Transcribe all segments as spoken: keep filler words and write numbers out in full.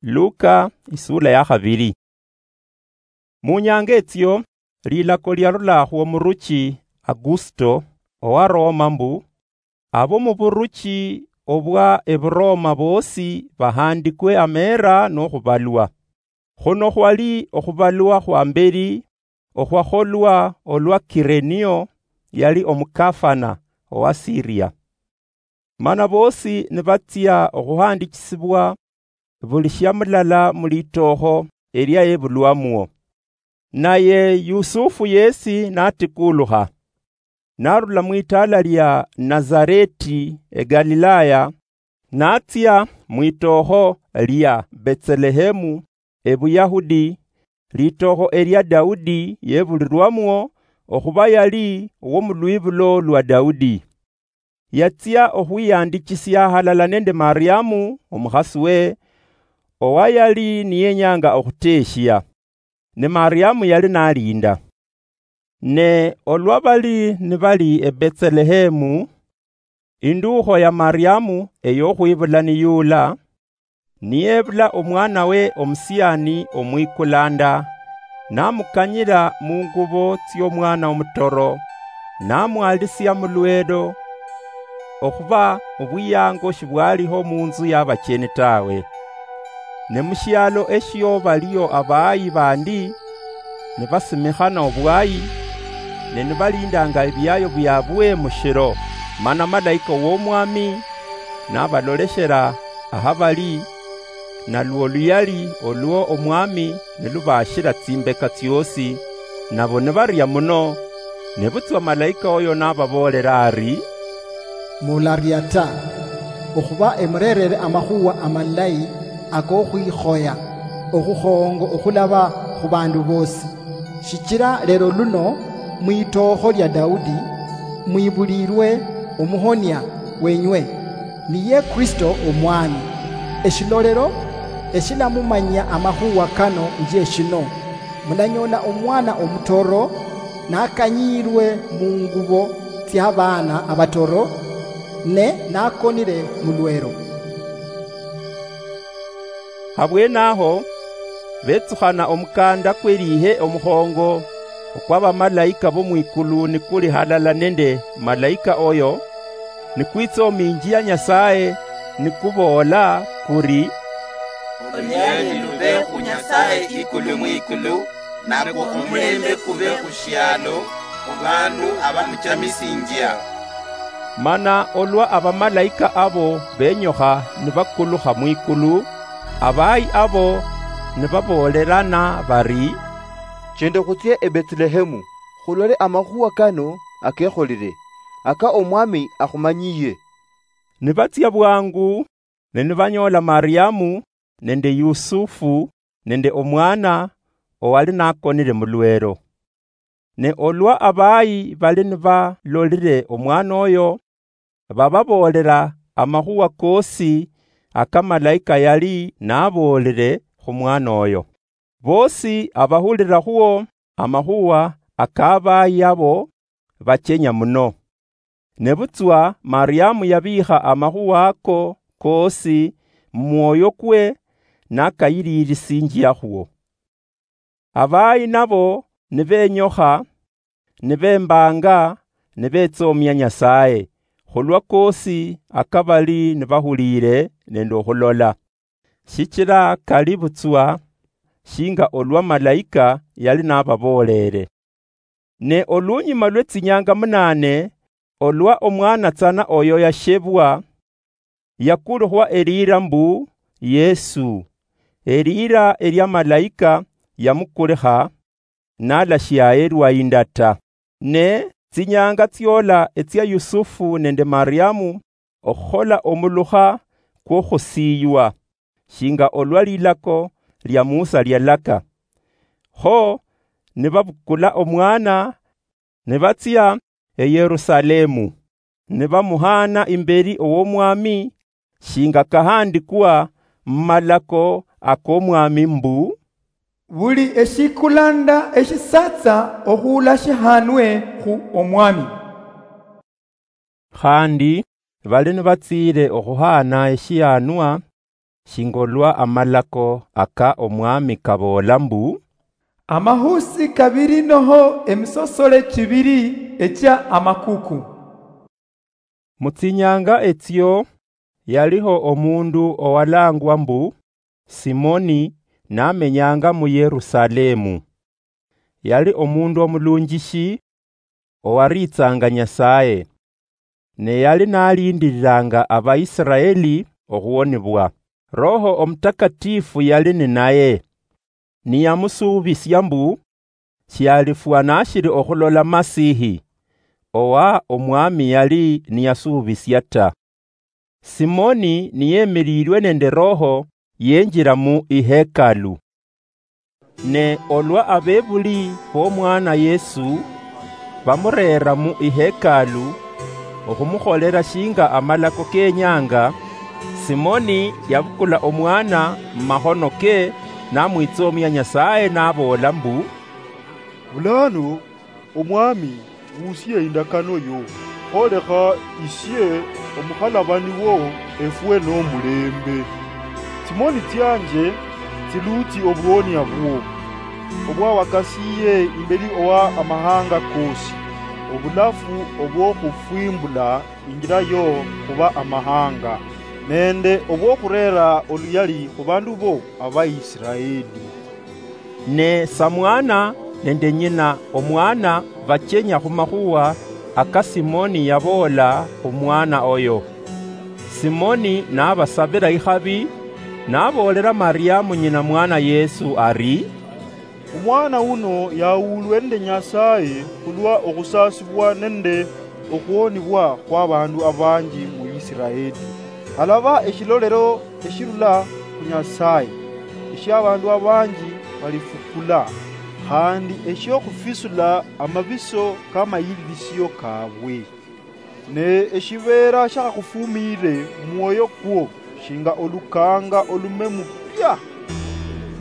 Luka, isula ya khabili. Mu nyanga etsio, lilako liarula khwomuruchi Agusto owa Roma mbu, abo muburuchi obwa Eburoma bosi bahandikwe amera nokhubalwa. Khuno khwali okhubalwa khwa mbeli okhwakholwa olwa Kirenio yali omukafana owa Siria. Mana bosi nibatsia okhuhandichisibwa buli shia mulala mu litookho elia yebulwamwo. Naye Yusufu yesi natikulukha, narula mwitaala lia Nazareti e Galilaya, natsia mwitookho lia Betselehemu e Buyahudi, litookho elia Daudi yebulirwamwo, okhuba yali owomulwibulo lwa Daudi. Yatsia okhwiyandichisia halala nende Mariamu, omukhasi we, owayali niyenyanga okhuteshia. Ne Mariamu yali nalinda. Ne olwa bali nibali e Betselehemu, induukho ya Mariamu eyokhwibula niyula, niyebula omwana we omusiani omwikulanda, namukanyira mungubo tsiomwana omutoro, namwalisia mulwelo, okhuba obwiyango shibwaliho munzu yabacheni tawe. Ne mushialo eshio baliyo abayi bandi, nibasimikhana obwayi, ne nibalindanga ebiayo biabwe mushiro, mana malaika womwami nabaloleshera ahabali, nalwo oluyali olwo omwami nilubashira tsimbeka tsiosi, nabo nibaria muno. Nebutswa malaika oyo nababoolera ari, "Mularia ta, okhuba emurerere amakhuwa amalayi akokhwikhoya okhukhongo okhulaba khubandu bosi. Shichira lero luno mwitookho lia Daudi mwibulirwe omuhonia wenywe, niye Kristo Omwami. Eshilolero eshilamumanyia amakhuwa kano njie shino: mulanyoola omwana omutoro nakanyiirwe mungubo tsiabaana abatoro, ne nakonire mulwero." Habwenaho, betsukhana omukanda kwelihe omukhongo okwabamalaika bomwikulu nikuli halala nende malaika oyo, nikwitsominjia Nyasaye, nikuboola kuri, "Oluyali lube khu Nyasaye ikulu mwikulu, nakwo omulembe kube khu shialo, khu bandu abamuchamisinjia." Mana olwa abamalaika abo benyokha nibakulukha mwikulu, abayi abo nibaboolerana bari, "Chende khutsie e Betselehemu, khulole amakhuwa kano akekholire, aka Omwami akhumanyiye." Nibatsia bwangu, ne nibanyoola Mariamu nende Yusufu nende omwana owali nakonire mulwero. Ne olwa abayi bali nibalolire omwana oyo, bababoolera amakhuwa kosi aka malaika yali naboolire khu mwana oyo. Bosi abahulirakhwo amakhuwa aka abayi abo bachenya muno. Nebutswa Mariamu yabiikha amakhuwa ako koosi mumwoyo kwe, nakayililisinjiakhwo. Abayi nabo nibenyokha, nibembanga, nibetsoomia Nyasaye, khulwa koosi akabali nibahuliire nende okhulola. Shichila kali butswa shinga olwa malaika yali nababoolere. Ne olunyuma lwe tsinyanga munane, olwa omwana tsana oyo yashebwa, yakulukhwa eliira mbu Yesu, eliira elia malaika yamukulikha, nalashiaye lwa inda ta. Ne tsinyanga tsiola etsia Yusufu nende Mariamu okhukhola omulukha kwokhusiywa, shinga olwa lilako lia Musa lialaka. Kho nibabukula omwana, nibatsia e Yerusalemu, nibamuhaana imbeli owomwami, shinga kahandikwa mumalako akomwami mbu, "Buli eshikulanda eshisatsa okhuula shihanwe khu omwami." Khandi bali nibatsiire okhuhaana eshihanwa, shinga olwa amalako aka Omwami kaboola mbu, "Amahusi kabiri noho emisosole chibiri echia amakuku." Mu tsinyanga etsio, yaliho omundu owalangwa mbu Simoni, namenyanga mu Yerusalemu. Yali omundu omulunjishi, owariitsanga Nyasaye, ne yali nalindiriranga Abaisiraeli okhuwonibwa. Roho Omutakatifu yali ninaye, niyamusuubisia mbu shialifwa nashiri okhulola Masihi, owa Omwami yali niyasuubisia ta. Simoni niyemililwe nende Roho, yenjira mu ihekalu. Ne olwa abebuli b'omwana Yesu bamureera mu ihekalu okhumukholera shinga amalako kenyanga, Simoni yabukula omwana mumakhono ke, namwitsomia Nyasaye, naboola mbu, "Bulano, Omwami, wusie indakano yo, kholekha isie omukhalabani wo efwe nomulembe. Tsimoni tsianje tsiluutsi obuwonia bwo, obwawakasiye imbeli owa amahanga kosi, obulafu obwokhufwimbula injira yo khuba amahanga, nende obwokhurera oluyali khubandu bo Abaisiraeli." Ne samwana nende nyina omwana bachenya khumakhuwa aka Simoni yaboola khumwana oyo. Simoni nabasabira ikhabi, naboolera Mariamu nyina mwana Yesu ari, "Omwana uno yawulwe nende Nyasaye khulwa okhusasibwa nende okhuwonibwa khwabandu abanji mu Isiraeli. Alaba eshilolero eshirula khu Nyasaye, eshiabandu abanji balifukula, khandi eshiokhufisul'la amabiso kamayililisio kabwe. Ne eshibeera shakhakhufumire mumwoyo kwo shinga olukanga olume mupya."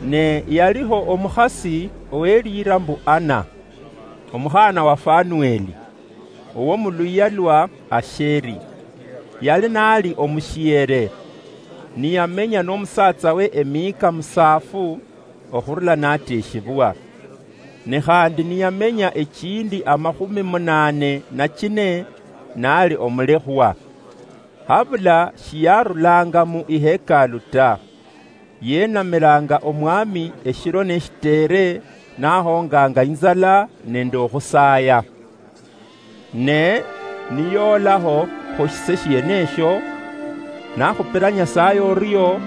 Ne yaliho omukhasi owelira mbu Ana, omukhana wa Fanueli, owo muluyia lwa Asheri. Yali nali omushiere, niyamenya nomusatsawe emihika musaafu okhurula nateshibwa. Ne khandi niyamenya echindi amakhumi munane na chine nali omulekhwa. Habula shiyarulanga mu ihekalu ta. Yenamilanga Omwami eshiro neshitere, nahonganga inzala nende okhusaya. Ne niyoolaho khusise shiene esho, nakhupira Nyasaye orio,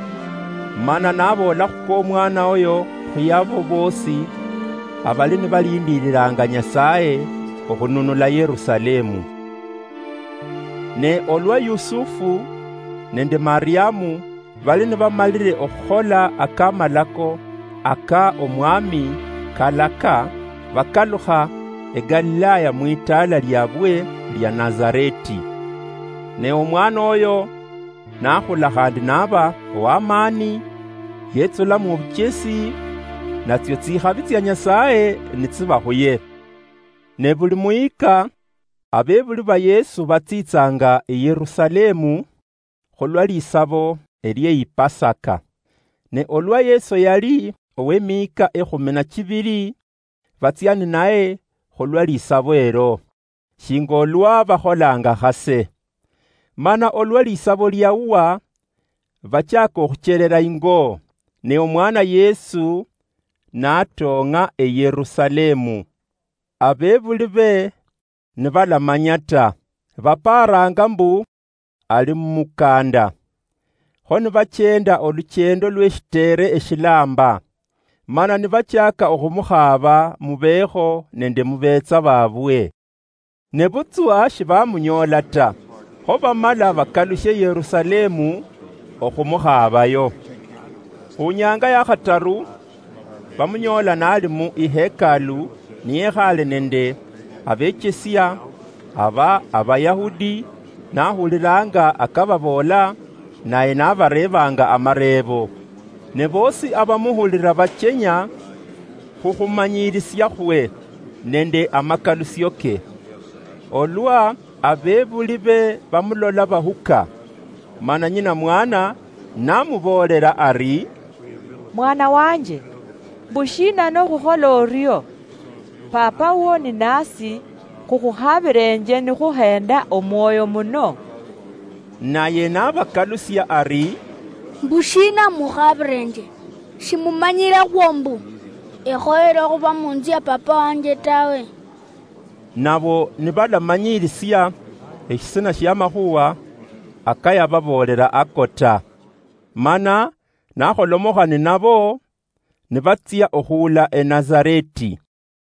mana naboola khukwa omwana oyo khuyabo boosi abali nibalindiriranga Nyasaye okhununula Yerusalemu. Ne olwa Yusufu nende Mariamu bali nibamalire okhukhola akamalako aka Omwami kalaka, bakalukha eGalilaya mwitaala liabwe lia Nazareti. Ne omwana oyo nakhula khandi naba owamani, yetsula mubuchesi, natsio tsikhabi tsia Nyasaye nitsiba khuye. Ne buli muyika, abebuli ba Yesu batsitsanga eYerusalemu khulwa lisabo elie Ipasaka. Ne olwa Yesu yali owemihika ekhumi na chibiri, batsia ninaye khulwa lisabo elo, shinga olwa bakholanga khase. Mana olwa lisabo liauwa, bachaka okhucherera ingo, ne omwana Yesu natong'a eYerusalemu. Abebuli be nibalamanya ta, baparanga mbu ali mumukanda. Kho nibachenda oluchendo lweshitere eshilamba, mana nibachaka okhumukhaba mubekho nende mubetsa babwe. Nebutswa shibamunyoola ta, kho bamala bakalushe Yerusalemu okhumukhabayo. Khunyanga yakhataru, bamunyoola nali mu ihekalu, niyekhale nende abechesia aba Abayahudi, nahulilanga akababoola, naye nabareebanga amareebo. Ne boosi abamuhulila bachenya khukhumanyilisiakhwe nende amakalusioke. Olwa abebuli be bamulola bahuka, mana nyina mwana Namuboolera ari, "Mwana wanje, mbushiina nokhukhola orio? Papa wo ninasi, khukhuhabirenje nikhuhenda omwoyo muno." Naye nabakalusia ari, "Mbushiina mukhabirenje? Shimumanyire khwo mbu ekhoyere okhuba munzu ya papa wanje tawe?" Nabo nibalamanyirisia eshisina shiamakhuwa akayababoolera ako ta. Mana nakholomokha ninabo, nibatsia okhuula eNazareti.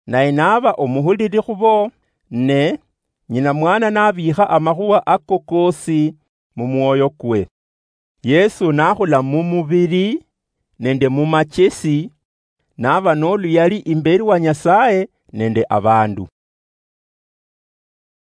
Naye naba omuhulili khubo, ne nyina mwana nabikha amakhuwa ako kosi mumwoyo kwe. Yesu nakhula mumubili nende mumachesi, naba noluyali imbeli wa Nyasaye nende abandu.